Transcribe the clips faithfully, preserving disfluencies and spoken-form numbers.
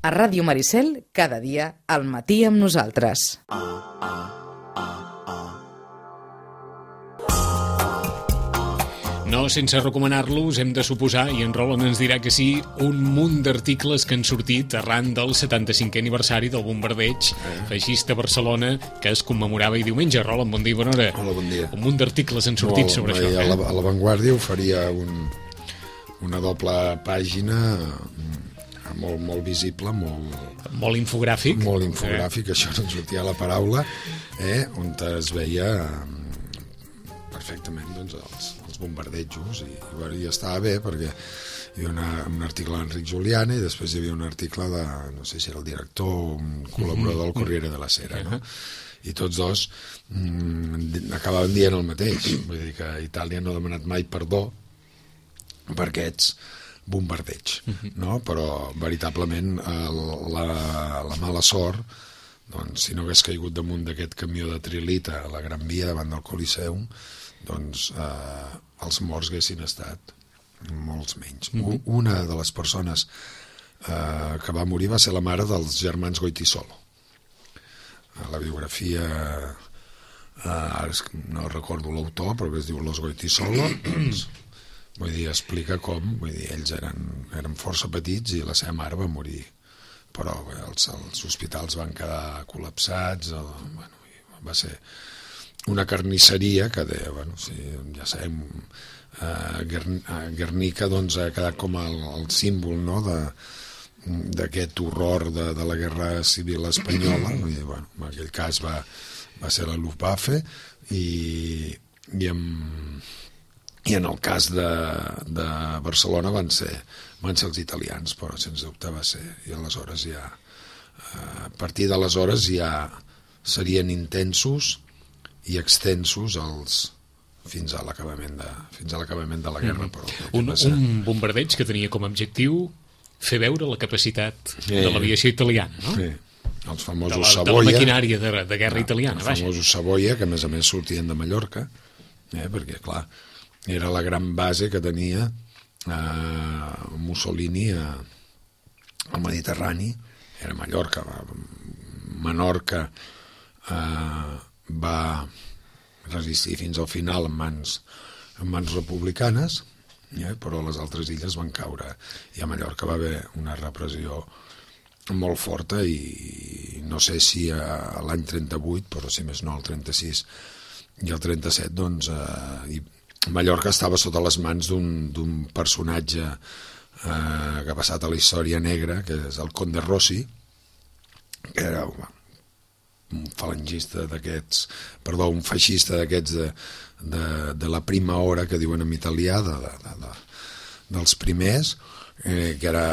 A Ràdio Maricel, cada dia, al matí amb nosaltres. No sense recomanar-los, hem de suposar, i en Roland ens dirà que sí, un munt d'articles que han sortit arran del setanta-cinquè aniversari del bombardeig eh. feixista a Barcelona, que es commemorava i diumenge. Roland, bon dia, bona hora. Hola, bon dia. Un munt d'articles han sortit Molt, sobre a això. Eh? A la, a la Vanguardia oferia un, una doble pàgina molt, molt visible, molt... Molt infogràfic. Molt infogràfic, eh? Això no en sortia la paraula, eh? On es veia perfectament doncs, els, els bombardejos i, i, bueno, i estava bé perquè hi havia una, un article d'Enric Juliana i després hi havia un article de, no sé si era el director o un col·laborador del Corriere della Sera, no? I tots dos mm, acabaven dient el mateix, vull dir que Itàlia no ha demanat mai perdó per aquests bombardeig, no? Però veritablement la, la mala sort, doncs, si no hagués caigut damunt d'aquest camió de trilita a la Gran Via davant del Coliseum, doncs eh, els morts haguessin estat molts menys. Mm-hmm. Una de les persones eh, que va morir va ser la mare dels germans Goytisolo. A la biografia, eh, ara no recordo l'autor, però que es diu Los Goytisolo, doncs, vull dir, explica com, vull dir, ells eren, eren força petits i la seva mare va morir, però bé, els, els hospitals van quedar col·lapsats, el, bueno, va ser una carnisseria que deia, bueno, sí, ja sabem, eh, Guernica doncs, ha quedat com el, el símbol, no?, de, d'aquest horror de, de la guerra civil espanyola. Vull dir, bueno, en aquell cas va, va ser la Luftwaffe i, i, en, i en el cas de, de Barcelona van ser, van ser els italians, però sens dubte va ser, i aleshores ja, a partir d'aleshores ja serien intensos i extensos els, fins a l'acabament de, fins a l'acabament de la guerra. Però un, un bombardeig que tenia com a objectiu fer veure la capacitat sí. de l'aviació italiana, no? Sí. Els famosos de la, Savoia, de la maquinària de, de guerra ja, italiana. Els vaja. famosos Savoia, que a més a més sortien de Mallorca, eh, perquè, clar, era la gran base que tenia eh, Mussolini a, al Mediterrani, era Mallorca, Menorca eh, va resistir fins al final en mans, en mans republicanes, eh, però les altres illes van caure, i a Mallorca va haver una repressió molt forta i no sé si a l'any trenta-vuit, però si més no el trenta-sis i el trenta-set, doncs eh, i Mallorca estava sota les mans d'un personatge eh, que ha passat a la història negra, que és el Conde Rossi, que era un falangista d'aquests, perdó, un feixista d'aquests de, de, de la prima hora, que diuen en italià, de, de, de, de, dels primers, eh, que, era,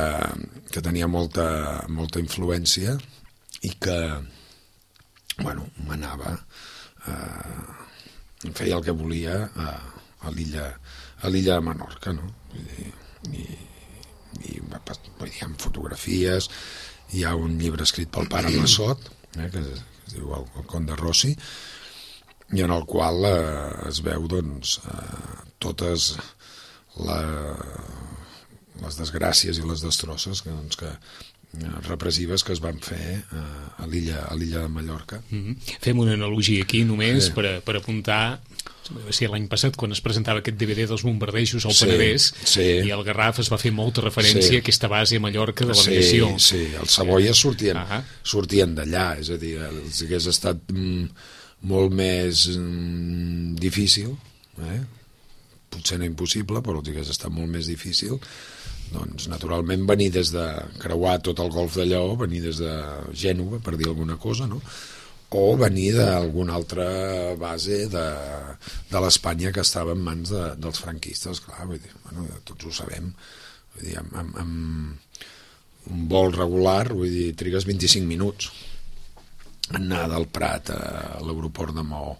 que tenia molta, molta influència i que, bueno, manava, eh, feia el que volia a, a l'illa a l'illa de Menorca, no? Vull dir, i, i vull dir, amb fotografies, hi ha un llibre escrit pel pare Massot, eh, que es, es diu el, el Conde Rossi, i en el qual eh, es veu doncs eh, totes la, les desgràcies i les destrosses que, doncs, que repressives que es van fer eh, a l'illa a l'illa de Mallorca. Mm-hmm. Fem una analogia aquí només sí. per, a, per apuntar, va ser l'any passat quan es presentava aquest D V D dels bombardejos al sí, Penedès sí. i al Garraf es va fer molta referència sí. a aquesta base a Mallorca de l'aviació. Sí, sí, els Savoia sortien, uh-huh. sortien d'allà, és a dir, els hagués estat mm, molt més mm, difícil, eh? Potser no impossible, però els hagués estat molt més difícil, doncs naturalment venir des de creuar tot el golf de Lleó, venir des de Gènova, per dir alguna cosa, no? O venir d'alguna altra base de, de l'Espanya que estava en mans de, dels franquistes, clar, vull dir, bueno, tots ho sabem, vull dir, amb, amb, amb un vol regular, vull dir, trigues vint-i-cinc minuts anar del Prat a l'aeroport de Maó,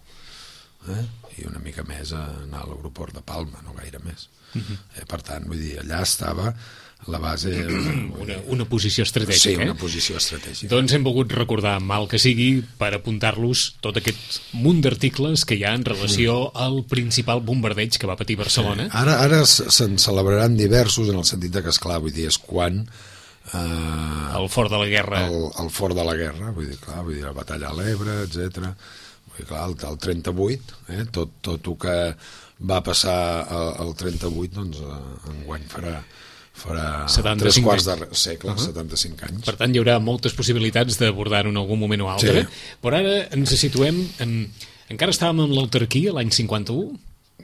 eh? I una mica més a anar a l'aeroport de Palma, no gaire més. Uh-huh. eh, per tant, vull dir, allà estava la base... Una, una posició estratègica. Sí, una eh? posició estratègica. Doncs hem volgut recordar, mal que sigui, per apuntar-los tot aquest munt d'articles que hi ha en relació al principal bombardeig que va patir Barcelona. Sí. Ara, ara se'n celebraran diversos en el sentit que, esclar, vull dir, és quan Uh, el fort de la guerra. El, el fort de la guerra, vull dir, clar, vull dir, la batalla a l'Ebre, etcètera. Vull dir, clar, el, el trenta-vuit, eh, tot, tot el que va passar al trenta-vuit, doncs eh, enguany farà, farà tres quarts de segle, uh -huh. setanta-cinc anys. Per tant, hi haurà moltes possibilitats d'abordar-ho en algun moment o altre. Sí. Però ara ens situem... En... Encara estàvem amb l'autarquia l'any cinquanta-u?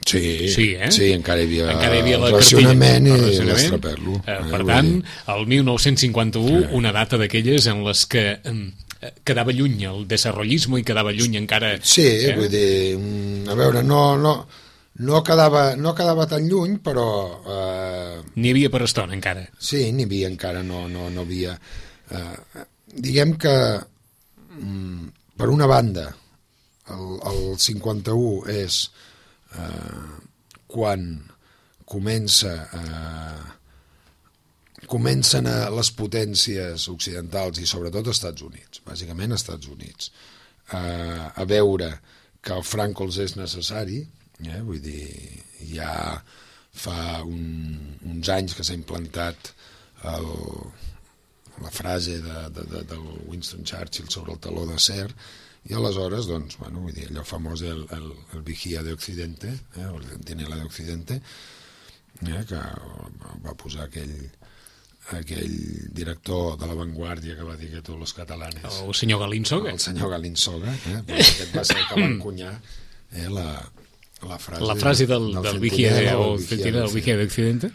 Sí, sí, eh? sí, encara hi havia, encara hi havia la racionament i l'estraperlo. Eh, per tant, el mil nou-cents cinquanta-u, sí. Una data d'aquelles en les que eh, quedava lluny el desarrollisme i quedava lluny encara... Sí, eh? Vull dir, a veure, no, no, no, quedava, no quedava tan lluny, però... Eh, n'hi havia per estona, encara. Sí, n'hi havia encara, no, no, no havia... Eh, diguem que, mm, per una banda, el, el cinquanta-u és... Uh, quan comença uh, comencen a les potències occidentals i sobretot als Estats Units, bàsicament als Estats Units, uh, a veure que el Franco els és necessari, eh? Vull dir, ja fa un, uns anys que s'ha implantat el, la frase de, de, de, del Winston Churchill sobre el taló d'acer. I aleshores, doncs, bueno, vull dir, allò famós el, el, el vigía de Occidente, eh, el centinela de Occidente, eh, que va posar aquell, aquell director de La Vanguardia que va dir que tots els catalanes... El senyor Galinsoga. El senyor Galinsoga, eh, pues aquest va ser el que va encunyar eh, la, la frase... La frase del, del, del vigía de, o centinela del vigía de Occidente.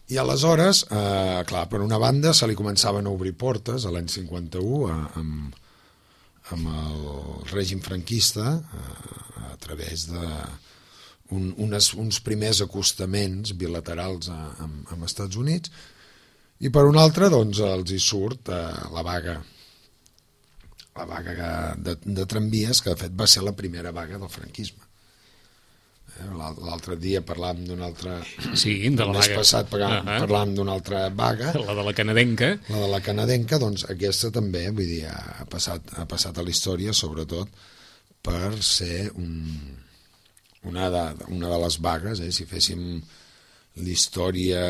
I aleshores, eh, clar, per una banda se li començaven a obrir portes a l'any cinquanta-u amb... amb el règim franquista a, a través de un, unes, uns primers acostaments bilaterals a, amb, amb Estats Units, i per un altre doncs els hi surt eh, la vaga la vaga de, de tramvies, que de fet va ser la primera vaga del franquisme. L'altre dia parlàvem d'una altra... Sí, de la vaga. Passat parlàvem, uh -huh. parlàvem d'una altra vaga. La de la canadenca. La de la canadenca, doncs aquesta també, vull dir, ha passat, ha passat a la història, sobretot per ser un, una, de, una de les vagues, eh? Si féssim l'història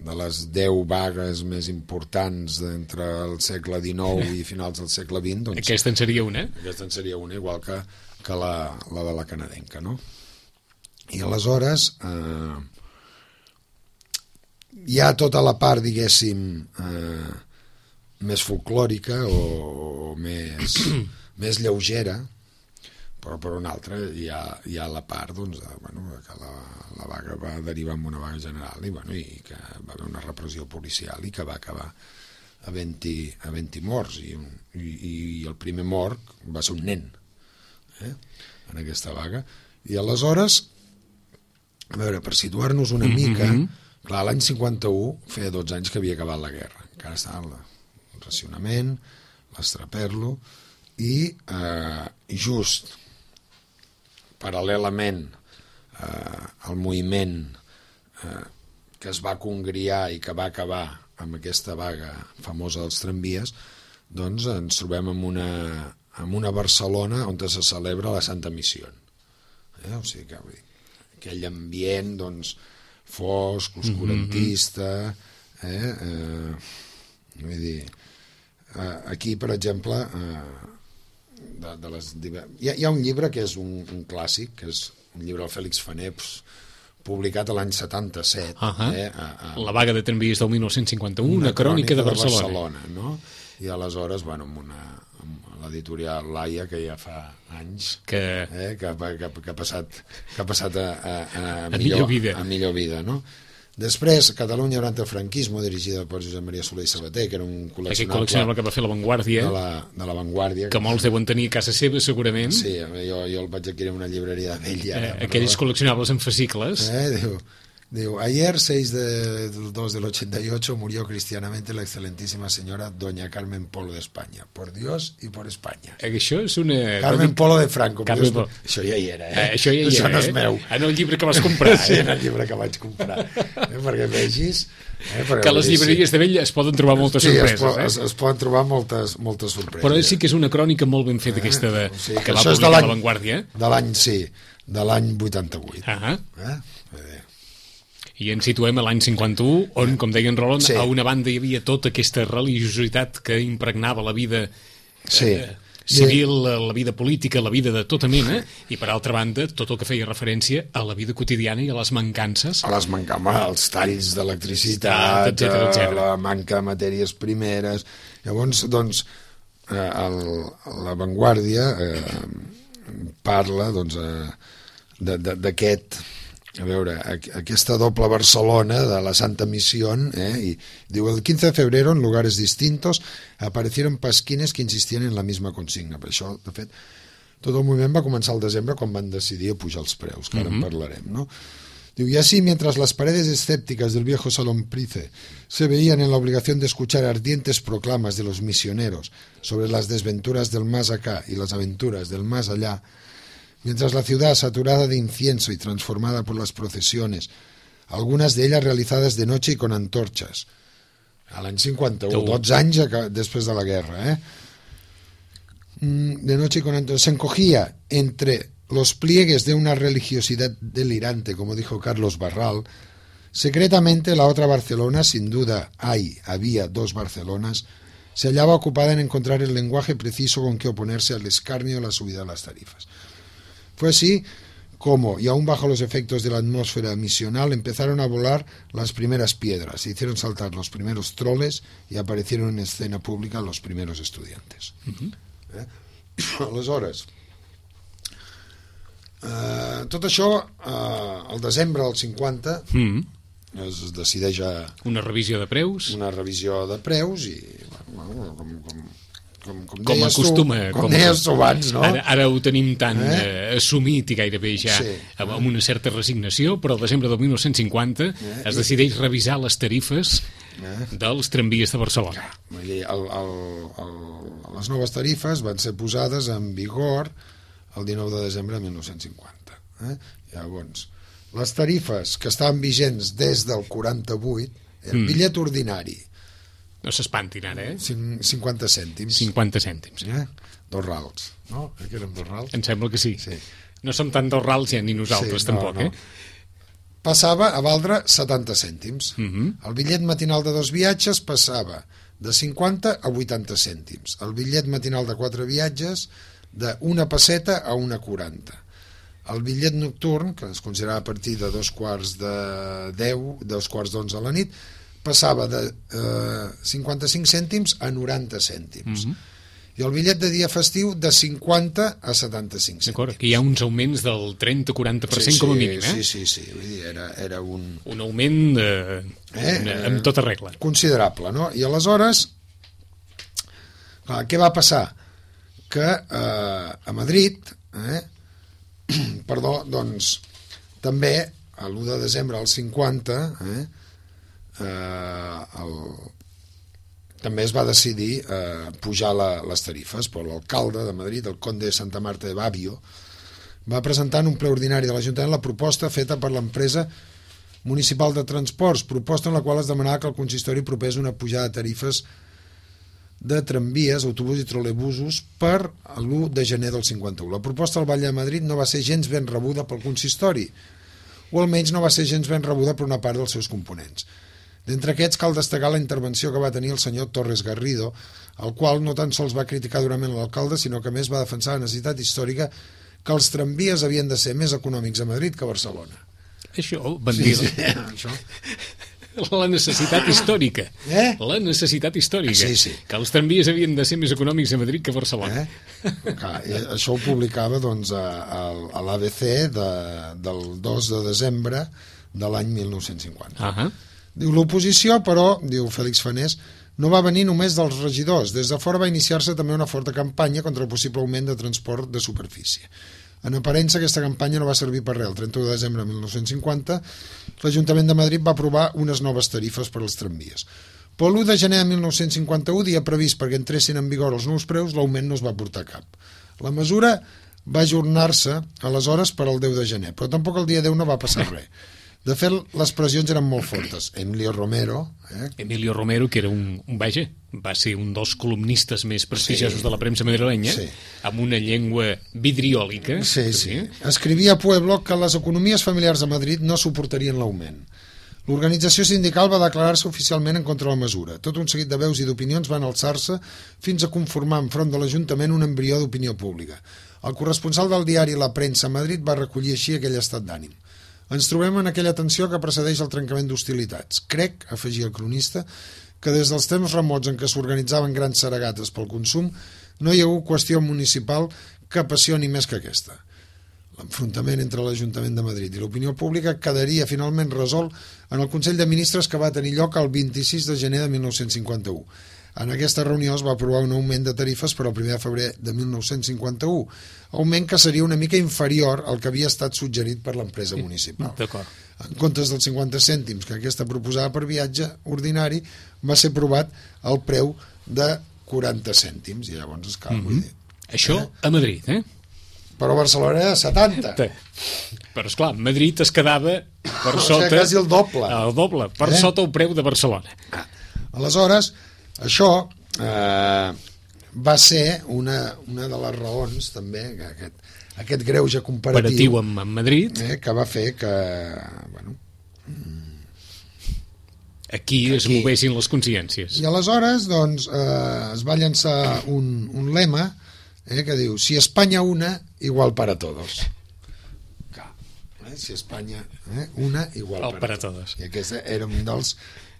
de les deu vagues més importants entre el segle dinou i finals del segle vint, doncs... Aquesta en seria una? Aquesta en seria una, igual que, que la, la de la canadenca, no? I aleshores eh, hi ha tota la part, diguéssim, eh, més folclòrica o, o més, més lleugera, però per una altra hi ha, hi ha la part doncs, de, bueno, que la, la vaga va derivar en una vaga general i, bueno, i que va haver una repressió policial i que va acabar havent-hi havent-hi morts i, i, i el primer mort va ser un nen eh, en aquesta vaga. I aleshores, a veure, per situar-nos una mica, mm -hmm. clar, l'any cinquanta-u feia dotze anys que havia acabat la guerra, encara estava el racionament, l'estraperlo, i eh, just paral·lelament eh, al moviment eh, que es va congriar i que va acabar amb aquesta vaga famosa dels tramvies, doncs ens trobem en una, en una Barcelona on se celebra la Santa Missió. Eh? O sigui que vull dir, aquell ambient doncs, fosc, oscurantista, eh? Eh, vull dir, eh, aquí, per exemple, eh, de, de les diver... hi, ha, hi ha un llibre que és un, un clàssic, que és un llibre del Fèlix Faneps, publicat a l'any setanta-set. Uh -huh. eh, a, a, la vaga de tramvies del mil nou-cents cinquanta-u, una, una crònica de Barcelona. De Barcelona, no? I aleshores, bueno, amb una amb l'editorial Laia, que ja fa anys que, eh, que, que, que, ha passat, que ha passat a, a, a, a, millor, millor vida. a millor vida, no? Després, Catalunya durant el franquisme, dirigida per Josep Maria Soler i Sabater, que era un col·leccionable... Aquest col·leccionable que va fer La Vanguardia. De la, de la Vanguardia. Que, que molts deuen tenir a casa seva, segurament. Sí, jo, jo el vaig adquirir en una llibreria d'ell. Eh, aquells col·leccionables en fascicles. Eh, diu... Digo, ayer, seis de dos del ochenta y ocho, murió cristianamente la excelentísima señora Doña Carmen Polo de España. Por Dios y por España. Això és una... Carmen Polo de Franco. Carmen Polo. Això ja hi era, eh? eh això ja hi això era, no és eh? meu. En el llibre que vas comprar. Sí, en el llibre que vaig comprar. Eh? Perquè vegis... Eh? Perquè que a les llibreries sí. de vell es poden trobar moltes sí, sorpreses. Es, eh? es, es poden trobar moltes, moltes sorpreses. Però sí que és una crònica molt ben feta, eh? aquesta de, o sigui, que, que va publicar La Vanguardia. De l'any, sí, de l'any vuitanta-vuit. Uh -huh. eh? I ens situem a l'any cinquanta-u, on, com deia en Roland, sí. a una banda hi havia tota aquesta religiositat que impregnava la vida sí. eh, civil, la vida política, la vida de tota mena, i per altra banda, tot el que feia referència a la vida quotidiana i a les mancances. A les mancances, als talls d'electricitat, etcètera, etcètera. la manca de matèries primeres. Llavors, doncs, eh, el, la Vanguardia eh, parla, doncs, eh, d'aquest... A veure, aquesta doble Barcelona de la Santa Misión, eh, y digo, el quince de febrero en lugares distintos aparecieron pasquines que insistían en la misma consigna. Per això, de fet, tot el moviment va començar al desembre quan van decidir pujar els preus, que ara uh-huh. en parlarem, no? Digo, y así, mientras las paredes escépticas del viejo Salón Price se veían en la obligación de escuchar ardientes proclamas de los misioneros sobre las desventuras del más acá y las aventuras del más allá, mientras la ciudad, saturada de incienso y transformada por las procesiones, algunas de ellas realizadas de noche y con antorchas, a l'any cinquanta-u, dotze anys després de la guerra, eh? de noche y con antorchas, se encogía entre los pliegues de una religiosidad delirante, como dijo Carlos Barral. Secretamente la otra Barcelona, sin duda hay, había dos Barcelonas, se hallaba ocupada en encontrar el lenguaje preciso con que oponerse al escarnio de la subida de las tarifas. Fue así como, y aún bajo los efectos de la atmósfera misional, empezaron a volar las primeras piedras, se hicieron saltar los primeros troles y aparecieron en escena pública los primeros estudiantes. Uh-huh. eh? Aleshores, eh, tot això, eh, al desembre del cinquanta, uh-huh. es decideix a... Una revisió de preus. Una revisió de preus i, bueno, com... com Com, com, com acostuma tu, com, com deies tu abans, no? Ara, ara ho tenim tan eh? Eh, assumit i gairebé ja sí. amb, amb una certa resignació, però al desembre del dinou cinquanta eh? es decideix revisar les tarifes eh? dels tramvies de Barcelona. El, el, el, les noves tarifes van ser posades en vigor el dinou de desembre de dinou cinquanta. Eh? Llavors, les tarifes que estaven vigents des del quaranta-vuit, el mm. bitllet ordinari, no s'espantin ara, eh? cinquanta cèntims. cinquanta cèntims. Eh? Dos rals, no? Que eren dos rals? Em sembla que sí. sí. No som tant dos rals ja, ni nosaltres, sí, no, tampoc, no. eh? Passava a valdre setanta cèntims. Uh-huh. El bitllet matinal de dos viatges passava de cinquanta a vuitanta cèntims. El bitllet matinal de quatre viatges d'una pesseta a una quaranta. El bitllet nocturn, que es considerava a partir de dos quarts de deu, dos quarts d'onze a la nit, passava de eh, cinquanta-cinc cèntims a noranta cèntims. Mm-hmm. I el bitllet de dia festiu de cinquanta a setanta-cinc cèntims. D'acord, que hi ha uns augments del trenta a quaranta per cent sí, sí, com a mínim, eh? Sí, sí, sí, vull dir, era, era un... Un augment eh, eh, una, amb tota regla. Considerable, no? I aleshores, clar, què va passar? Que eh, a Madrid, eh, perdó, doncs, també, a l'u de desembre del cinquanta, eh, Eh, el, també es va decidir eh, pujar la, les tarifes, però l'alcalde de Madrid, el conde de Santa Marta de Babio, va presentar en un ple ordinari de l'Ajuntament la proposta feta per l'empresa municipal de transports, proposta en la qual es demanava que el consistori propés una pujada de tarifes de tramvies, autobusos i trolebusos per l'u de gener del cinquanta-u. La proposta del Batlle de Madrid no va ser gens ben rebuda pel consistori, o almenys no va ser gens ben rebuda per una part dels seus components. D'entre aquests cal destacar la intervenció que va tenir el senyor Torres Garrido, el qual no tan sols va criticar durament l'alcalde, sinó que més va defensar la necessitat històrica que els tramvies havien de ser més econòmics a Madrid que a Barcelona. Això, van dir... Sí, sí, això. La necessitat històrica. Eh? La necessitat històrica. Sí, sí. Que els tramvies havien de ser més econòmics a Madrid que a Barcelona. Eh? Clar, això ho publicava doncs, a, a, a l'A B C de, del dos de desembre de l'any mil nou-cents cinquanta. Uh -huh. Diu, l'oposició, però, diu Fèlix Fanés, no va venir només dels regidors. Des de fora va iniciar-se també una forta campanya contra el possible augment de transport de superfície. En aparença, aquesta campanya no va servir per res. El trenta-u de desembre de mil nou-cents cinquanta, l'Ajuntament de Madrid va aprovar unes noves tarifes per als tramvies. Però l'u de gener de mil nou-cents cinquanta-u, dia previst perquè entressin en vigor els nous preus, l'augment no es va portar a cap. La mesura va ajornar-se aleshores per al deu de gener, però tampoc el dia deu no va passar res. De fet, les pressions eren molt fortes. Emilio Romero... Eh? Emilio Romero, que era un, un vaja, va ser un dels columnistes més prestigiosos sí. de la premsa madrilenya, sí. amb una llengua vidriòlica. Sí, sí. Escrivia a Pueblo que les economies familiars de Madrid no suportarien l'augment. L'organització sindical va declarar-se oficialment en contra de la mesura. Tot un seguit de veus i d'opinions van alçar-se fins a conformar enfront de l'Ajuntament un embrió d'opinió pública. El corresponsal del diari La Premsa a Madrid va recollir així aquell estat d'ànim. Ens trobem en aquella tensió que precedeix el trencament d'hostilitats. Crec, afegia el cronista, que des dels temps remots en què s'organitzaven grans seregates pel consum no hi ha hagut qüestió municipal que apassioni més que aquesta. L'enfrontament entre l'Ajuntament de Madrid i l'opinió pública quedaria finalment resolt en el Consell de Ministres que va tenir lloc el vint-i-sis de gener de mil nou-cents cinquanta-u. En aquesta reunió es va aprovar un augment de tarifes per al primer de febrer de mil nou-cents cinquanta-u, augment que seria una mica inferior al que havia estat suggerit per l'empresa municipal. D'acord. En comptes dels cinquanta cèntims que aquesta proposava per viatge ordinari, va ser aprovat el preu de quaranta cèntims, i llavors esclar, mm-hmm. vull dir... Això a Madrid, eh? Però Barcelona era setanta. Però, esclar, Madrid es quedava per o sota... sigui, quasi el doble. El doble, per eh? sota el preu de Barcelona. Ah. Aleshores, això eh, va ser una, una de les raons, també, que aquest, aquest greuge comparatiu amb, amb Madrid, eh, que va fer que, bueno... Aquí es aquí. Movessin les consciències. I aleshores, doncs, eh, es va llançar un, un lema eh, que diu, si Espanya una, igual para todos. Clar, eh, si Espanya eh, una, igual para, para todos. I aquest era un dels...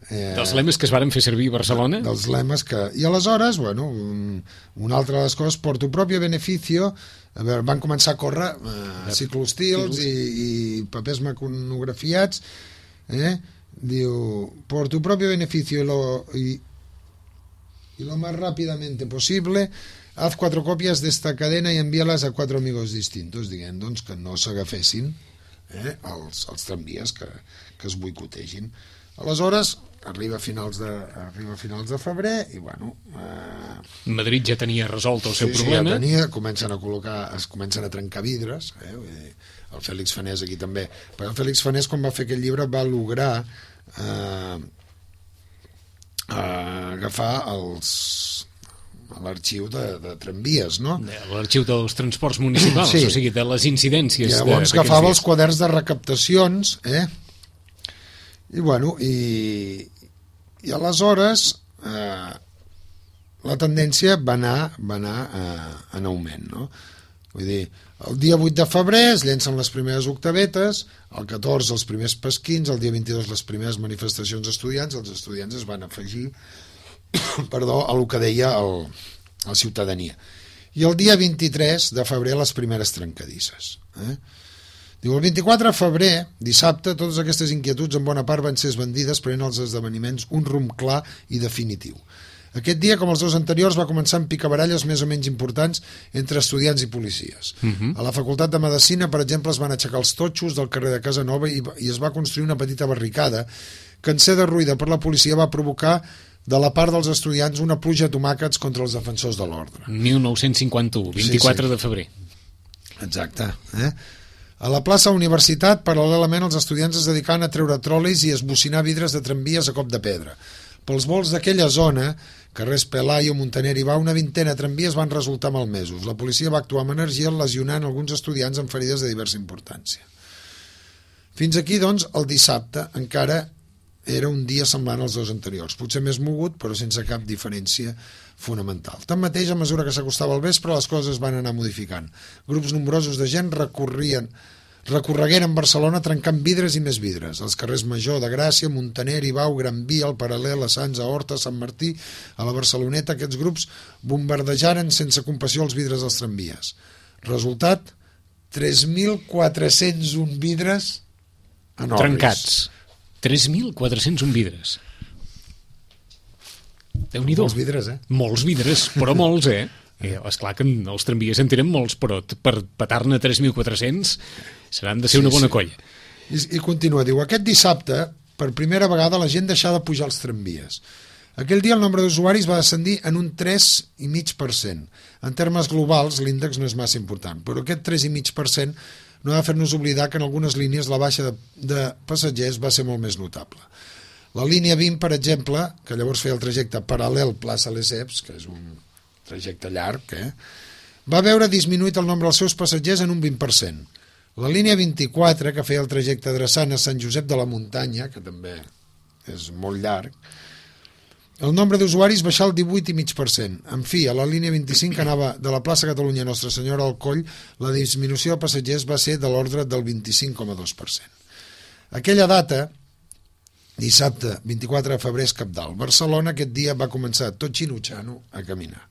Eh, dels lemes que es varen fer servir a Barcelona. Dels lemes que... I aleshores, bueno, un, una altra de les coses, por tu propio beneficio, a veure, van començar a córrer eh, ciclostils i, i papers mecanografiats, eh, diu, por tu propio beneficio y lo, y, y lo más rápidamente posible, haz cuatro copias de esta cadena y envíalas a cuatro amigos distintos, dient doncs que no s'agafessin eh, els, els tramvies que, que es boicotegin. Aleshores arriba a finals de, arriba a finals de febrer i bueno eh... Madrid ja tenia resolt el seu sí, problema. Sí, ja tenia, comencen a col·locar, es comencen a trencar vidres, eh? El Fèlix Fanés aquí també, però el Fèlix Fanés quan va fer aquest llibre va lograr eh, eh, agafar els l'arxiu de, de tramvies, no? L'arxiu dels transports municipals, sí. O sigui, de les incidències. I llavors agafava els quaderns de recaptacions, eh? I bueno, i, i aleshores eh, la tendència va anar, va anar eh, en augment, no? Vull dir, el dia vuit de febrer es llencen les primeres octavetes, el catorze els primers pesquins, el dia vint-i-dos les primeres manifestacions estudiants, els estudiants es van afegir perdó, a el que deia el, la ciutadania. I el dia vint-i-tres de febrer les primeres trencadisses. Eh? Diu, el vint-i-quatre de febrer, dissabte, totes aquestes inquietuds en bona part van ser esbandides prenent els esdeveniments un rumb clar i definitiu. Aquest dia, com els dos anteriors, va començar amb picabaralles més o menys importants entre estudiants i policies. Uh-huh. A la Facultat de Medicina, per exemple, es van aixecar els totxos del carrer de Casanova i, i es va construir una petita barricada que, en ser derruïda per la policia, va provocar de la part dels estudiants una pluja de tomàquets contra els defensors de l'ordre. mil nou-cents cinquanta-u, vint-i-quatre sí, sí. de febrer. Exacte. Eh? A la plaça Universitat, paral·lelament, els estudiants es dedicaven a treure trolis i a esbocinar vidres de tramvies a cop de pedra. Pels vols d'aquella zona, carrers Pelayo, Montaner i Bau, una vintena de tramvies van resultar malmesos. La policia va actuar amb energia lesionant alguns estudiants amb ferides de diversa importància. Fins aquí, doncs, el dissabte encara era un dia semblant als dos anteriors, potser més mogut, però sense cap diferència fonamental. Tanmateix, a mesura que s'acostava el vespre, les coses es van anar modificant. Grups nombrosos de gent recorrien recorregueren Barcelona trencant vidres i més vidres. Els carrers Major, de Gràcia, Montaner, Ibau, Gran Via, el Paral·lel, a Sants, a Horta, Sant Martí, a la Barceloneta, aquests grups bombardejaren sense compassió els vidres dels tramvies. Resultat, tres mil quatre-cents un vidres enormes. Trencats. tres mil quatre-cents un vidres. Déu-n'hi-do. Molts vidres, eh? Molts vidres, però molts, eh? Eh, esclar que els tramvies en tenen molts, però per petar-ne tres mil quatre-cents seran de ser sí, una bona sí. colla. I, I continua, diu, aquest dissabte, per primera vegada, la gent deixava de pujar els tramvies. Aquell dia el nombre d'usuaris va descendir en un tres coma cinc per cent. En termes globals, l'índex no és massa important, però aquest tres coma cinc per cent no ha de fer-nos oblidar que en algunes línies la baixa de, de passatgers va ser molt més notable. La línia vint, per exemple, que llavors feia el trajecte paral·lel plaça Lesseps, que és un trajecte llarg, eh? va veure disminuït el nombre dels seus passatgers en un vint per cent. La línia vint-i-quatre, que feia el trajecte adreçant a Sant Josep de la Muntanya, que també és molt llarg, el nombre d'usuaris baixà el divuit coma cinc per cent. En fi, a la línia vint-i-cinc, que anava de la plaça Catalunya Nostra Senyora al Coll, la disminució de passatgers va ser de l'ordre del vint-i-cinc coma dos per cent. Aquella data, dissabte vint-i-quatre de febrer, és cabdal. Barcelona aquest dia va començar tot xinutxano a caminar.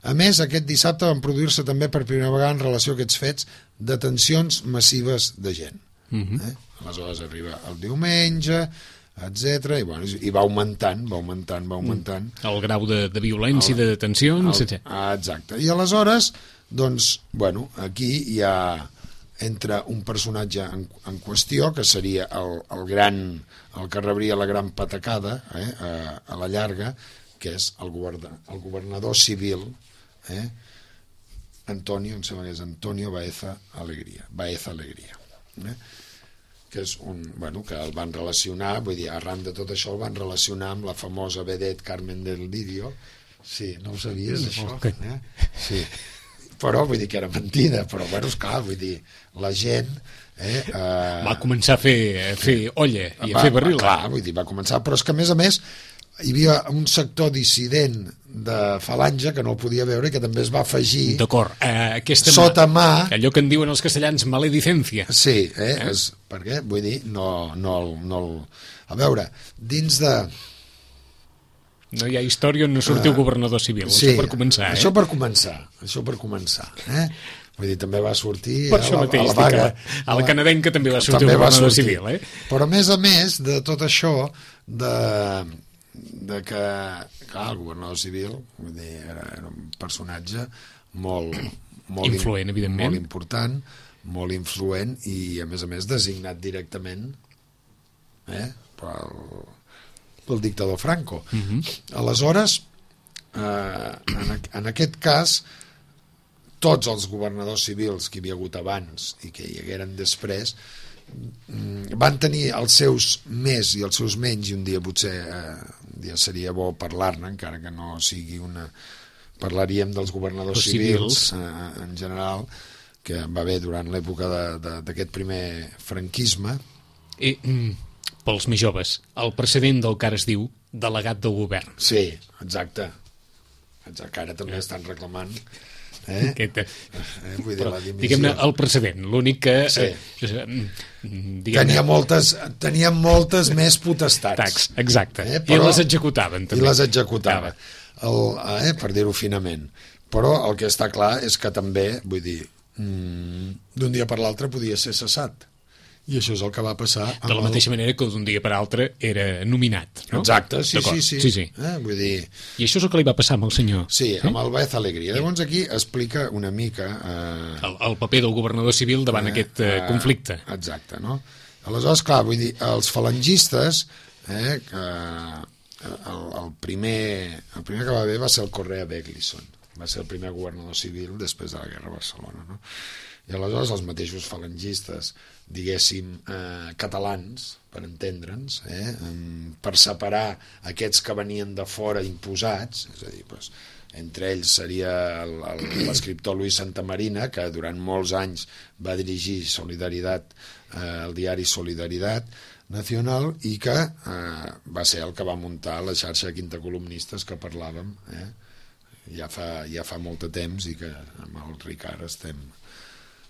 A més, aquest dissabte van produir-se també per primera vegada en relació a aquests fets detencions massives de gent. Uh-huh. eh? Aleshores arriba el diumenge, etcètera, i, bueno, i va augmentant, va augmentant, va augmentant. El grau de, de violència, el, de detencions, etcètera. Ah, exacte. I aleshores, doncs, bueno, aquí hi ha entre un personatge en, en qüestió, que seria el, el gran, el que rebria la gran patacada, eh, a, a la llarga, que és el, govern, el governador civil, eh, Antonio, em sembla que és Antonio Baeza Alegría, Baeza Alegría, eh, que és un, bueno, que el van relacionar, vull dir, arran de tot això el van relacionar amb la famosa vedette Carmen del Lidio. Sí, no ho sabies, això? Okay. Eh? Sí, però vull dir que era mentida, però bueno, esclar, vull dir, la gent eh, eh, va començar a fer, a fer olla i a va, fer barril. Va, clar, vull dir, va començar, però és que a més a més hi havia un sector dissident de Falange que no el podia veure i que també es va afegir d'acord, eh, aquesta sota mà, allò que en diuen els castellans maledicència. Sí, eh, eh? És, per què? Vull dir, no, no, no el... A veure, dins de... No hi ha història on no sortiu uh, governador civil, sí, això per començar. Eh? Això per començar, això per començar. Eh? Vull dir, també va sortir... Per això a la, mateix, a la vaga, a la canadenca també va sortir també el governador sortir. civil. Eh? Però a més a més de tot això, de... de que, clar, el governador civil vull dir, era, era un personatge molt, molt influent, evidentment, molt important, molt influent i a més a més designat directament eh, pel, pel dictador Franco. Uh-huh. Aleshores eh, en, en aquest cas tots els governadors civils que hi havia hagut abans i que hi hagueren després van tenir els seus més i els seus menys, i un dia potser eh, un dia seria bo parlar-ne, encara que no sigui una... Parlaríem dels governadors civils, civils eh, en general, que va haver durant l'època d'aquest primer franquisme. I, mm, pels més joves, el precedent del que ara es diu delegat del govern. Sí, exacte. exacte que ara també estan reclamant... Eh? Aquest, eh, vull dir, però, la diguem-ne, el precedent, l'únic que sí. eh, tenia moltes tenia moltes més potestats. Tax, exacte, eh? Però, i les executaven també. I les executava, el, eh, per dir-ho finament. Però el que està clar és que també, vull dir, mm, d'un dia per l'altre podia ser cessat. I això és el que va passar. De la mateixa el... manera que d'un dia per altre era nominat, no? Exacte, sí, sí, sí. sí, sí. Eh, vull dir... I això és el que li va passar amb el senyor. Sí, amb el Baeza Alegría. Llavors aquí explica una mica... Eh... El, el paper del governador civil davant eh, aquest eh, conflicte. Exacte, no? Aleshores, clar, vull dir, els falangistes, eh, que el, el, primer, el primer que va haver va ser el Correa Beglison. Va ser el primer governador civil després de la Guerra de Barcelona, no? I aleshores els mateixos falangistes, diguéssim, eh, catalans, per entendre'ns, eh, per separar aquests que venien de fora imposats, és a dir, doncs, entre ells seria l'escriptor Luis Santamarina, que durant molts anys va dirigir Solidaritat, eh, el diari Solidaritat Nacional, i que eh, va ser el que va muntar la xarxa de quintacolumnistes que parlàvem, eh, ja, fa, ja fa molt de temps, i que amb el Ricard estem...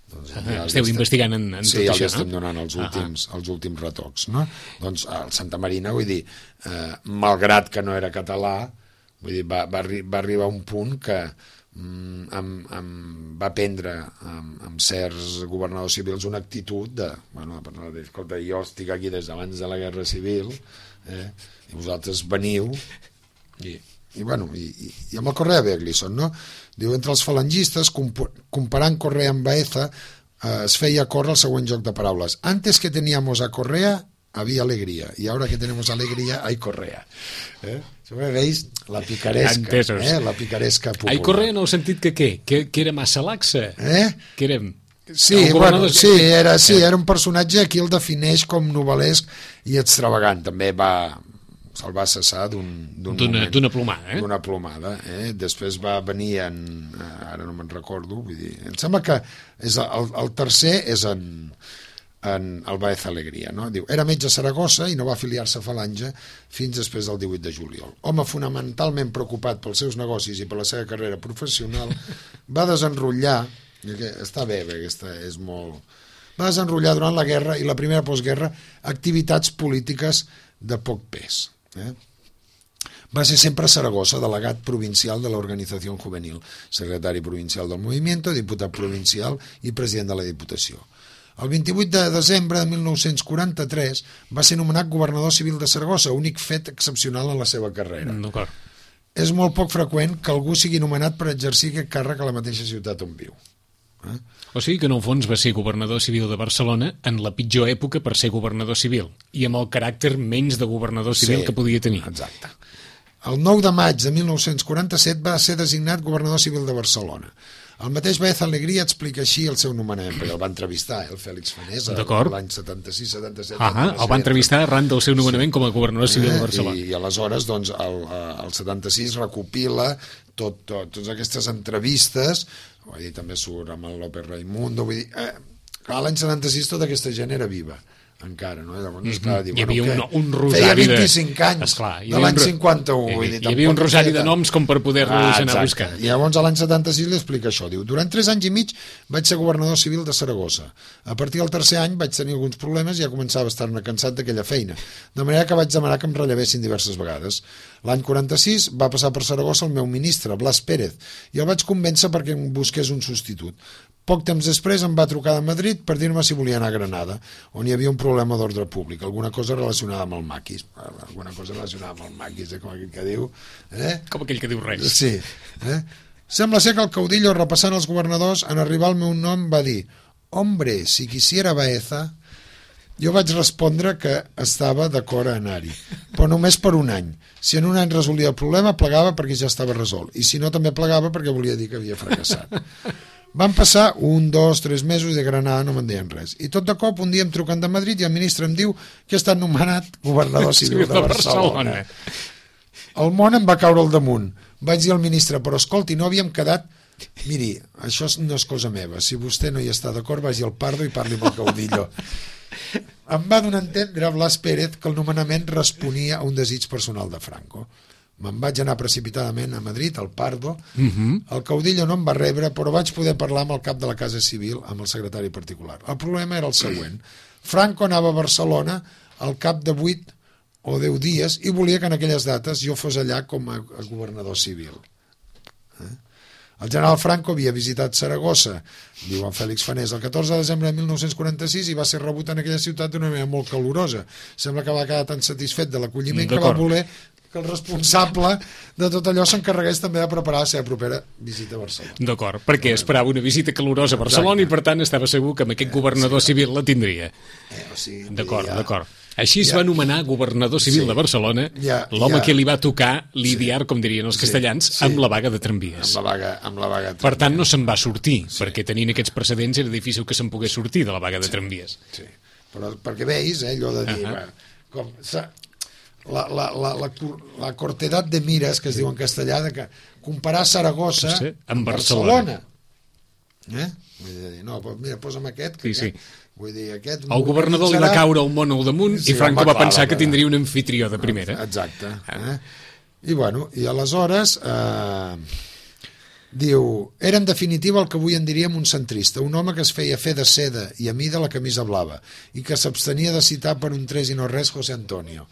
Doncs, ja esteu estem, investigant en, en sí, tot això, ja estem no? donant els últims, uh-huh. els últims retocs, no? Doncs el Santa Marina, vull dir, eh, malgrat que no era català, vull dir, va, va, arri va arribar a un punt que mm, amb, amb, va prendre amb, amb certs governadors civils una actitud de, bueno, de, escolta, jo estic aquí des d'abans de la Guerra Civil, eh, i vosaltres veniu, i... I, bueno, i, i, i amb el Correa Beglison, no? Diu, entre els falangistes, comparant Correa amb Baeza, eh, es feia córrer el següent joc de paraules. Antes que teníamos a Correa, había alegría, y ahora que tenemos alegría, hay Correa. Eh? Veis la picaresca, eh? La picaresca popular. Hay Correa en el sentit que què? Que, que era massa laxa? Eh? Que era... Sí, bueno, sí, era, sí, era un personatge, aquí el defineix com novel·lesc i extravagant. També va... se'l va cessar d'un d'una plomada, eh? D'una plomada, eh? Després va venir en... Ara no me'n recordo, vull dir... Em sembla que és el, el tercer és en, en el Baez Alegría, no? Diu, era metge a Saragossa i no va afiliar-se a Falange fins després del divuit de juliol. Home fonamentalment preocupat pels seus negocis i per la seva carrera professional, va desenrotllar... Està bé, bé, aquesta és molt... Va desenrotllar durant la guerra i la primera postguerra activitats polítiques de poc pes. Eh? Va ser sempre a Saragossa, delegat provincial de l'Organització Juvenil, secretari provincial del Movimiento, diputat provincial i president de la Diputació. El vint-i-vuit de desembre de mil nou-cents quaranta-tres va ser nomenat governador civil de Saragossa, únic fet excepcional en la seva carrera. D'acord. És molt poc freqüent que algú sigui nomenat per exercir aquest càrrec a la mateixa ciutat on viu. Eh? O sigui que en el fons va ser governador civil de Barcelona en la pitjor època per ser governador civil i amb el caràcter menys de governador civil sí, que podia tenir. Exacte. El nou de maig de mil nou-cents quaranta-set va ser designat governador civil de Barcelona. El mateix Baez Alegría explica així el seu nomenament, perquè el va entrevistar, eh, el Fèlix Fanés, l'any setanta-sis setanta-set. Ah, el va entrevistar arran del seu nomenament sí. com a governador civil de Barcelona. I, i aleshores, doncs, el, el setanta-sis recopila tot, tot, totes aquestes entrevistes, vull dir, també surt amb el López Raimundo, vull dir, eh, clar, l'any setanta-sis tota aquesta gent era viva. Encara, no? Llavors, mm -hmm. esclar, diu, hi havia bueno, un, un rosari feia vint-i-cinc anys esclar, de l'any cinquanta-u. Hi, vull dir, hi havia un rosari de noms com per poder-los ah, anar a buscar. I llavors a l'any setanta-sis li explica això. Diu, durant tres anys i mig vaig ser governador civil de Saragossa. A partir del tercer any vaig tenir alguns problemes i ja començava a estar-ne cansat d'aquella feina. De manera que vaig demanar que em rellevessin diverses vegades. L'any quaranta-sis va passar per Saragossa el meu ministre, Blas Pérez, i el vaig convèncer perquè em busqués un substitut. Poc temps després em va trucar de Madrid per dir-me si volia anar a Granada, on hi havia un problema d'ordre públic, alguna cosa relacionada amb el maquis, alguna cosa relacionada amb el maquis, eh, com aquell que diu... Eh? Com aquell que diu res. Sí. Eh? Sembla ser que el caudillo, repassant els governadors, en arribar al meu nom va dir «Hombre, si quisiera Baeza...» Jo vaig respondre que estava d'acord a anar-hi, però només per un any. Si en un any resolia el problema, plegava perquè ja estava resolt, i si no també plegava perquè volia dir que havia fracassat. Van passar un, dos, tres mesos de Granada, no me'n deien res. I tot de cop, un dia em truquen de Madrid i el ministre em diu que he estat nomenat governador civil de Barcelona. El món em va caure al damunt. Vaig dir al ministre, però escolti, no havíem quedat... Miri, això no és cosa meva. Si vostè no hi està d'acord, vagi al Pardo i parli amb el caudillo. Em va donar a entendre Blas Pérez que el nomenament responia a un desig personal de Franco. Me'n vaig anar precipitadament a Madrid, al Pardo. Uh-huh. El caudillo no em va rebre, però vaig poder parlar amb el cap de la Casa Civil, amb el secretari particular. El problema era el següent. Franco anava a Barcelona al cap de vuit o deu dies i volia que en aquelles dates jo fos allà com a governador civil. Eh? El general Franco havia visitat Saragossa, diu en Fèlix Fanés, el catorze de desembre de mil nou-cents quaranta-sis i va ser rebut en aquella ciutat d'una manera molt calorosa. Sembla que va quedar tan satisfet de l'acolliment que va voler que el responsable de tot allò s'encarregués també de preparar la seva propera visita a Barcelona. D'acord, perquè esperava una visita calorosa a Barcelona. Exacte. I per tant estava segur que amb aquest governador sí, civil la tindria. Eh, o sigui, d'acord, ja... d'acord. Així es ja. va anomenar governador civil sí. de Barcelona, ja, l'home ja. que li va tocar lidiar, sí. com dirien els castellans, sí. Sí. amb la vaga de tramvies. Amb la vaga, amb la vaga de per tant, no se'n va sortir, sí. perquè tenint aquests precedents era difícil que se'n pogués sortir de la vaga de sí. tramvies. Sí, però perquè veis, eh, allò de dir... Uh -huh. va, com, la, la, la, la, la cortedat de mires, que es diu en castellà, de que comparar Saragossa sí, amb Barcelona. Barcelona. Eh? Vull dir, no, mira, posa'm aquest, que sí, sí. Aquest, vull dir, aquest... El governador li va caure el món al damunt sí, i Franco va pensar que tindria un anfitrió de primera. Exacte. Eh? I bueno, i aleshores... Eh, diu, era en definitiva el que avui en diríem un centrista, un home que es feia fer de seda i a mi de la camisa blava i que s'abstenia de citar per un tres i no res José Antonio.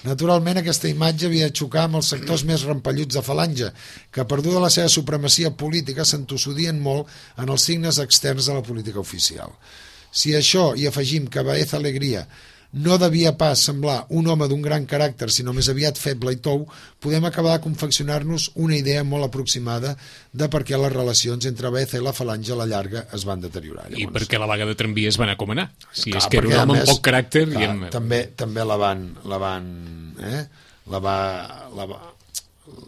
Naturalment, aquesta imatge havia de xocar amb els sectors més rampalluts de Falange, que, perduda la seva supremacia política, s'entossudien molt en els signes externs de la política oficial. Si a això hi afegim que Baez Alegría no devia pas semblar un home d'un gran caràcter, sinó més aviat feble i tou, podem acabar de confeccionar-nos una idea molt aproximada de per què les relacions entre Baeza i la Falange a la llarga es van deteriorar. Llavors. I per què la vaga de tramvies va anar a comanar? Si clar, és que era un home amb poc caràcter... Clar, i amb... també, també la van... La van, eh? la va, la va,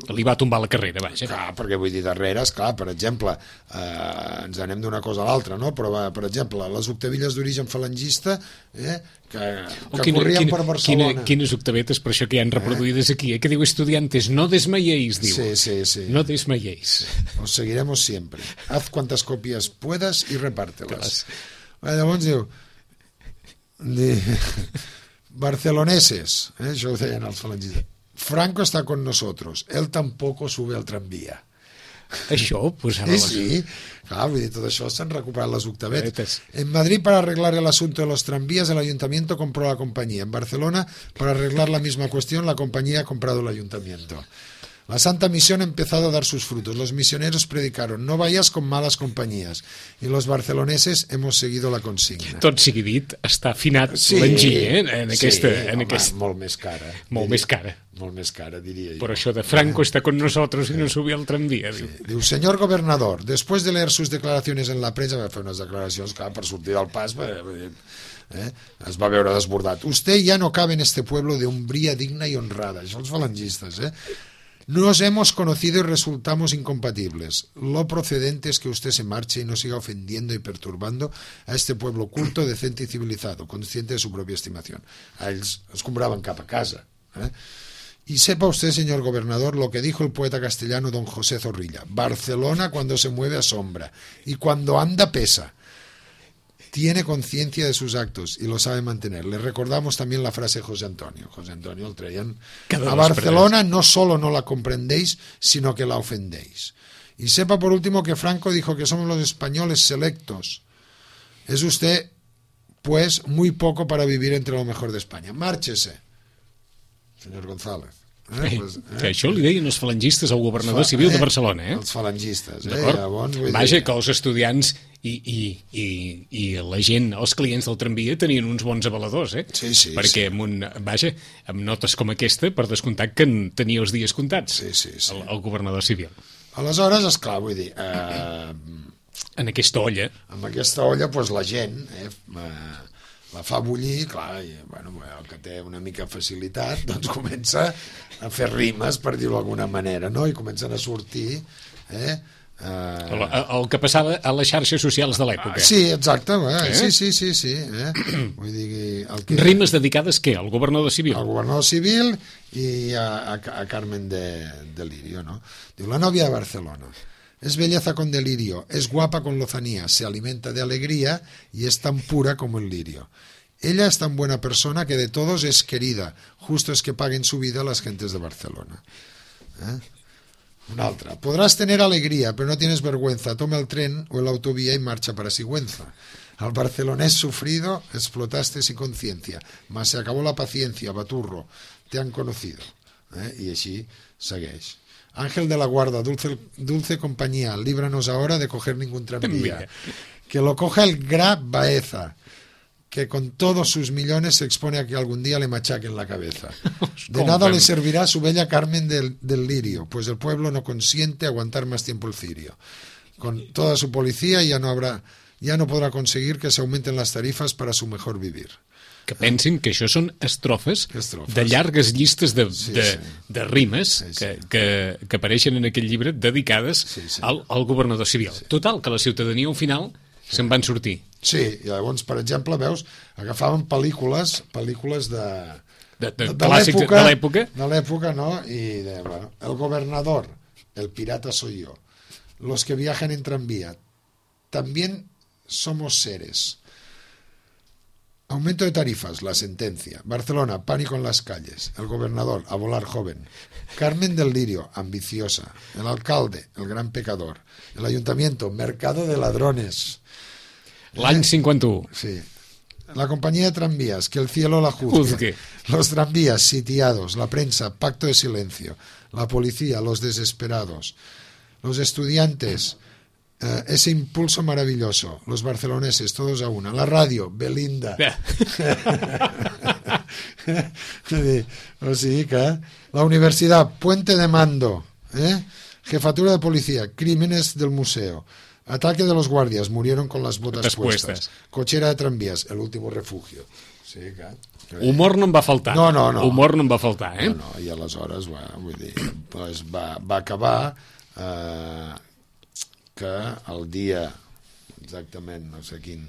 Li va tombar la carrera, vaja. Clar, perquè vull dir, darrere, esclar, per exemple, eh, ens anem d'una cosa a l'altra, no? Però, va, per exemple, les octavilles d'origen falangista, eh, que, que quina, corrien quina, per Barcelona. Quina, quines octavetes, per això que hi han reproduïdes aquí, eh? Que diu estudiantes, no desmayéis, diu. Sí, sí, sí. No desmayéis. Os seguiremos siempre. Haz cuantas copias puedas y repártelas. Eh, llavors diu... Di, barceloneses, eh, això ho deien els falangistes. Franco está con nosotros, él tampoco sube al tranvía. Això, pues ara... Sí, sí, clar, vull dir, tot això s'han recuperat les octavetes. Octavetes. En Madrid, para arreglar el asunto de los tranvías, el ayuntamiento compró la compañía. En Barcelona, para arreglar la misma cuestión, la compañía ha comprado el ayuntamiento. La Santa Misión ha empezado a dar sus frutos. Los misioneros predicaron, no vayas con malas compañías. Y los barceloneses hemos seguido la consigna. Tot sigui dit, està afinat Sí, l'enginy, eh? En aquesta... sí, en home, aquest... molt més cara. Molt diria. més cara. Molt més cara, diria jo. Però això de Franco está con nosotros y no subió al tranvía, diu. Sí. Diu, señor gobernador, después de leer sus declaraciones en la prensa, va fer unes declaracions, clar, per sortir del pas, eh, eh, es va veure desbordat. Usted ya no cabe en este pueblo de hombría digna y honrada. Això els falangistes, eh? Nos hemos conocido y resultamos incompatibles. Lo procedente es que usted se marche y no siga ofendiendo y perturbando a este pueblo culto, decente y civilizado, consciente de su propia estimación. A ells es compraven cap a casa. ¿eh? Y sepa usted, señor gobernador, lo que dijo el poeta castellano don José Zorrilla. Barcelona cuando se mueve asombra y cuando anda pesa. Tiene conciencia de sus actos y lo sabe mantener. Le recordamos también la frase de José Antonio. José Antonio el traían. A Barcelona no solo no la comprendéis, sino que la ofendéis. Y sepa por último que Franco dijo que somos los españoles selectos. Es usted, pues, muy poco para vivir entre lo mejor de España. Márchese, señor González. Eh, pues, eh. Que això li deien els falangistes al governador Fa, civil eh, de Barcelona, eh? Els falangistes, eh? D'acord? Llavors, vull Vaja, dir... que els estudiants i, i, i, i la gent, els clients del tramvia tenien uns bons avaladors, eh? Sí, sí, Perquè sí. amb un, vaja, amb notes com aquesta, per descomptat que en tenia els dies comptats, Sí, sí, sí. El, el governador civil. Aleshores, esclar, vull dir... Eh, En aquesta olla. amb aquesta olla, doncs, la gent eh, la fa bullir, clar, i, bueno, el que té una mica facilitat, doncs comença a fer rimes, per dir-ho d'alguna manera, no? I comencen a sortir... Eh, eh... El, el que passava a les xarxes socials de l'època. Sí, exacte, eh? Eh? sí, sí, sí, sí. Eh? Vull dir, el que... Rimes dedicades, què? Al governador civil? Al governador civil i a, a, a Carmen de, de Lirio, ¿no? Diu, la novia de Barcelona. Es belleza con delirio, es guapa con lozanía, se alimenta de alegría y es tan pura como el lirio. Ella es tan buena persona que de todos es querida. Justo es que paguen su vida las gentes de Barcelona. ¿Eh? Una altra. Podrás tener alegría, pero no tienes vergüenza. Toma el tren o el autovía y marcha para Sigüenza. Al barcelonés sufrido explotaste sin conciencia, mas se acabó la paciencia, baturro. Te han conocido. ¿Eh? I així segueix. Ángel de la Guarda, dulce, dulce compañía, líbranos ahora de coger ningún tranvía. Que lo coja el Gra Baeza, que con todos sus millones se expone a que algún día le machaquen la cabeza. De nada le servirá su bella Carmen del, del Lirio, pues el pueblo no consiente aguantar más tiempo el cirio. Con toda su policía ya no habrá, ya no podrá conseguir que se aumenten las tarifas para su mejor vivir. Que pensin que això són estrofes, Estrofes. de llargues llistes de, Sí, de, sí. de rimes Sí, sí. que, que, que apareixen en aquell llibre dedicades Sí, sí. al, al governador civil. Total, que la ciutadania al final se'n van sortir. Sí, i llavors, per exemple, veus, agafaven pel·lícules, pel·lícules de... De, de, de clàssics de l'època. De l'època, no? I de, bueno, el gobernador, el pirata soy yo. Los que viajan en tranvía. También somos seres. Aumento de tarifas, la sentencia. Barcelona, pánico en las calles. El gobernador, a volar joven. Carmen del Lirio, ambiciosa. El alcalde, el gran pecador. El ayuntamiento, mercado de ladrones. L'any cinquanta-u. Sí. La compañía de tranvías, que el cielo la juzgue. Juzgue. Los tranvías sitiados, la prensa, pacto de silencio. La policía, los desesperados. Los estudiantes, eh, ese impulso maravilloso. Los barceloneses, todos a una. La radio, Belinda. O sigui que la universidad, puente de mando. ¿eh? Jefatura de policía, crímenes del museo. Ataque de los guardias, murieron con las botas Botas puestas. puestas. Cochera de tranvías, el último refugio. O Sí, clar. Humor no em va faltar. No, no, no. Humor no em va faltar, eh? No, no, i aleshores va, vull dir, doncs va, va acabar eh, que el dia, exactament, no sé quin,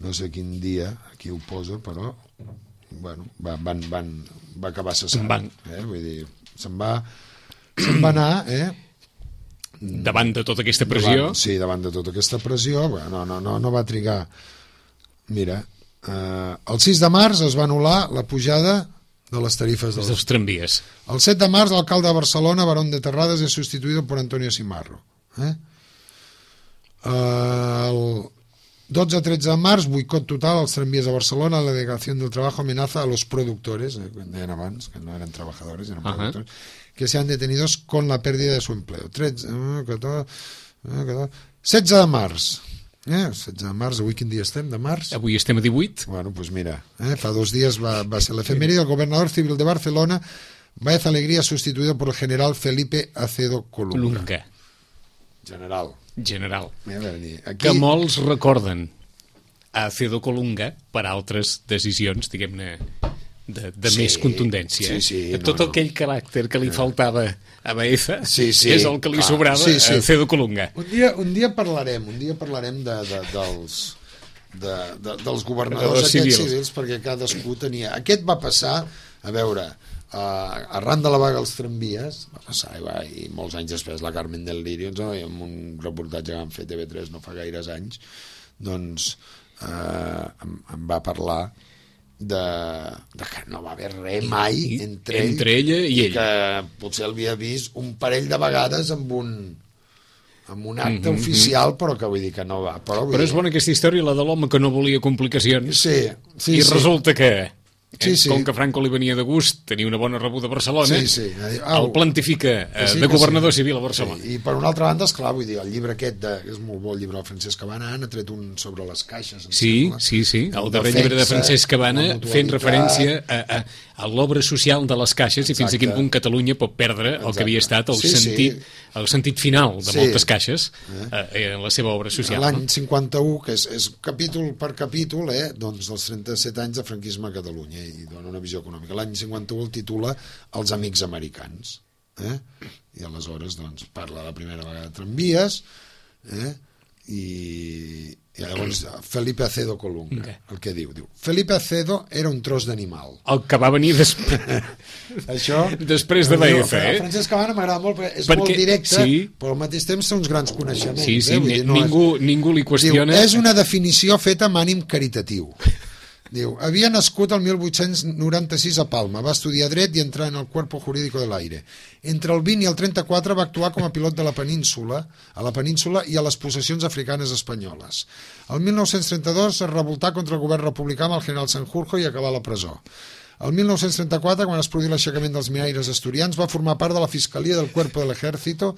no sé quin dia, aquí ho posa, però, bueno, va, van, van, va acabar cessant. Van. Eh? Vull dir, se'n va, se'n va anar, eh? Davant de tota aquesta pressió... Davant, sí, davant de tota aquesta pressió, bueno, no, no, no, no va trigar. Mira, eh, el sis de març es va anul·lar la pujada de les tarifes dels, dels tramvies. El set de març, l'alcalde de Barcelona, Barón de Terrades, es sustituido por Antonio Simarro. Eh? El dotze a tretze de març, boicot total als tramvies a Barcelona, la delegació del treball amenaza a los productores, eh, que deien abans, que no eren trabajadores, eren uh -huh. productores, que sean detenidos con la pérdida de su empleo. tretze, catorze, catorze, setze de març. Eh? setze de març, avui quin dia estem, de març? Avui estem a divuit. Bueno, pues mira, eh? fa dos días va, va ser l'efemèride. El gobernador civil de Barcelona, Baez Alegría, sustituido por el general Felipe Acedo Colunga. Colunga. General. General. Aquí... Que molts recorden a Acedo Colunga per altres decisions, diguem-ne, de, de sí, més contundència. Sí, sí, Tot no, no. aquell caràcter que li faltava a Baeza sí, sí, és el que li clar, sobrava sí, sí. a Acedo Colunga. Un dia, un dia parlarem, un dia parlarem de, de, dels, de, de, dels governadors aquests civils. civils, perquè cadascú tenia... Aquest va passar, a veure, uh, arran de la vaga als tramvies, va passar, i, va, i molts anys després la Carmen del Lirio, no? I en un reportatge que van fer T V tres no fa gaires anys, doncs uh, em, em va parlar de, de que no va haver res mai entre, entre ella i ell, que potser l'havia vist un parell de vegades amb un amb un acte mm -hmm. oficial, però que vull dir que no va. Però, però és dir... bona aquesta història, la de l'home que no volia complicacions, sí, sí, i sí. resulta que Sí, eh? sí. Com que Franco li venia de gust tenir una bona rebuda a Barcelona, sí, sí. Au, el plantifica eh, sí, de governador sí. civil a Barcelona. Sí. I per una altra banda, esclar, vull dir, el llibre aquest de, és molt bo, el llibre del Francesc Cabana, ha tret un sobre les caixes. Sí, sembla. sí, sí, el darrer llibre de Francesc Cabana fent referència a, a, a l'obra social de les caixes. Exacte. I fins a quin punt Catalunya pot perdre Exacte. el que havia estat el, sí, sentit, sí. el sentit final de sí. moltes caixes eh, en la seva obra social. L'any cinquanta-u, que és, és capítol per capítol, eh, doncs dels trenta-set anys de franquisme a Catalunya, i dona una visió econòmica. L'any cinquanta-u el titula Els amics americans, eh? I aleshores doncs parla la primera vegada de tramvies, eh? I, i llavors Felipe Acedo Colunga, okay. el que diu, diu Felipe Acedo era un tros d'animal, el que va venir després això després de Baeza, eh? Francesc Cabana m'agrada molt perquè és perquè, molt directe, sí. però al mateix temps té uns grans coneixements, sí, sí, eh? Vull dir, no ningú, és... ningú li qüestiona. Diu, és una definició feta amb ànim caritatiu. Diu, havia nascut el mil vuit-cents noranta-sis a Palma, va estudiar dret i entrar en el Cuerpo Jurídico del Aire. Entre el vint i el trenta-quatre va actuar com a pilot de la península, a la península i a les possessions africanes espanyoles. El mil nou-cents trenta-dos es revoltà contra el govern republicà amb el general Sanjurjo i acabà a la presó. El mil nou-cents trenta-quatre, quan es produí l'aixecament dels minaires asturians, va formar part de la Fiscalia del Cuerpo del Ejército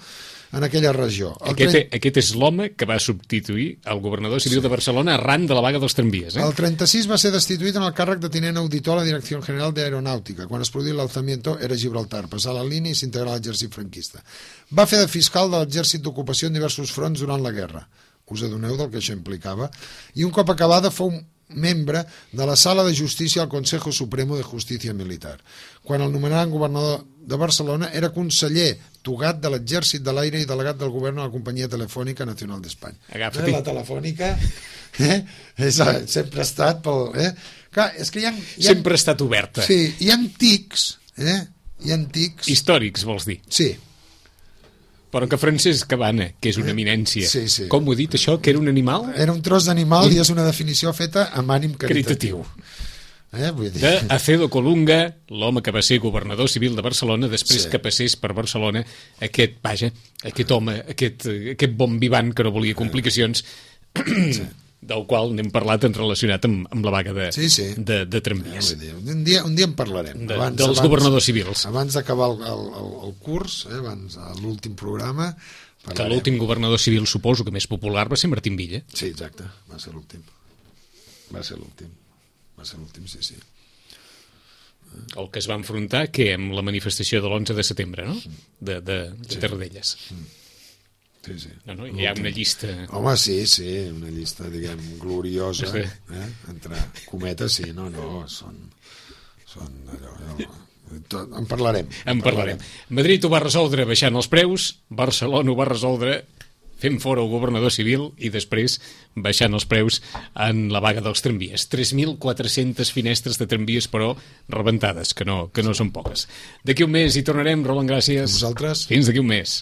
en aquella regió. El aquest, tren... aquest és l'home que va substituir el governador civil sí. de Barcelona arran de la vaga dels tramvies. Eh? El trenta-sis va ser destituït en el càrrec de tinent auditor a la Direcció General d'Aeronàutica. Quan es produí l'alzamiento era Gibraltar, passà la línia i s'integrà a l'exèrcit franquista. Va fer de fiscal de l'exèrcit d'ocupació en diversos fronts durant la guerra. Us adoneu del que això implicava. I un cop acabada fou membre de la Sala de Justícia al Consejo Supremo de Justícia Militar. Quan el nomenaren governador de Barcelona era conseller togat de l'Exèrcit de l'Aire i delegat del govern a la Companyia Telefònica Nacional d'Espanya. Agafa-t'hi. La telefònica eh? és, sempre ha estat pel... Eh? Clar, és que hi ha, hi ha... Sempre ha estat oberta. Sí, hi ha antics, eh? Hi ha antics... Històrics, vols dir? Sí. Però que Francesc Cabana, que és una eminència, sí, sí. com ho he dit això, que era un animal? Era un tros d'animal un... i és una definició feta amb ànim caritatiu. caritatiu. Eh, vull dir... De Acedo Colunga, l'home que va ser governador civil de Barcelona, després sí. que passés per Barcelona aquest, vaja, aquest home, aquest, aquest bon vivant que no volia complicacions, sí. del qual n'hem parlat en relacionat amb, amb la vaga de, sí, sí. de, de tramvies. Eh, un, dia, un dia en parlarem. De, abans, dels abans, governadors civils. Abans d'acabar el, el, el curs, eh, abans l'últim programa... Parlarem. Que l'últim governador civil, suposo que més popular, va ser Martín Villa. Sí, exacte, va ser l'últim. Va ser l'últim. Va ser l'últim, sí, sí. El que es va enfrontar, que amb la manifestació de l'onze de setembre, no? De, de, de sí. Tarradellas. Sí, sí. No, no, hi ha una llista... Home, sí, sí, una llista, diguem, gloriosa, sí. eh? Entre cometes, sí, no, no, són... són allò, allò, tot, en parlarem. En, en parlarem. parlarem. Madrid ho va resoldre baixant els preus, Barcelona ho va resoldre fent fora el governador civil i després baixant els preus en la vaga dels tramvies. tres mil quatre-centes finestres de tramvies, però rebentades, que no, que no són poques. D'aquí un mes hi tornarem, Roland, gràcies. A vosaltres. Fins d'aquí un mes.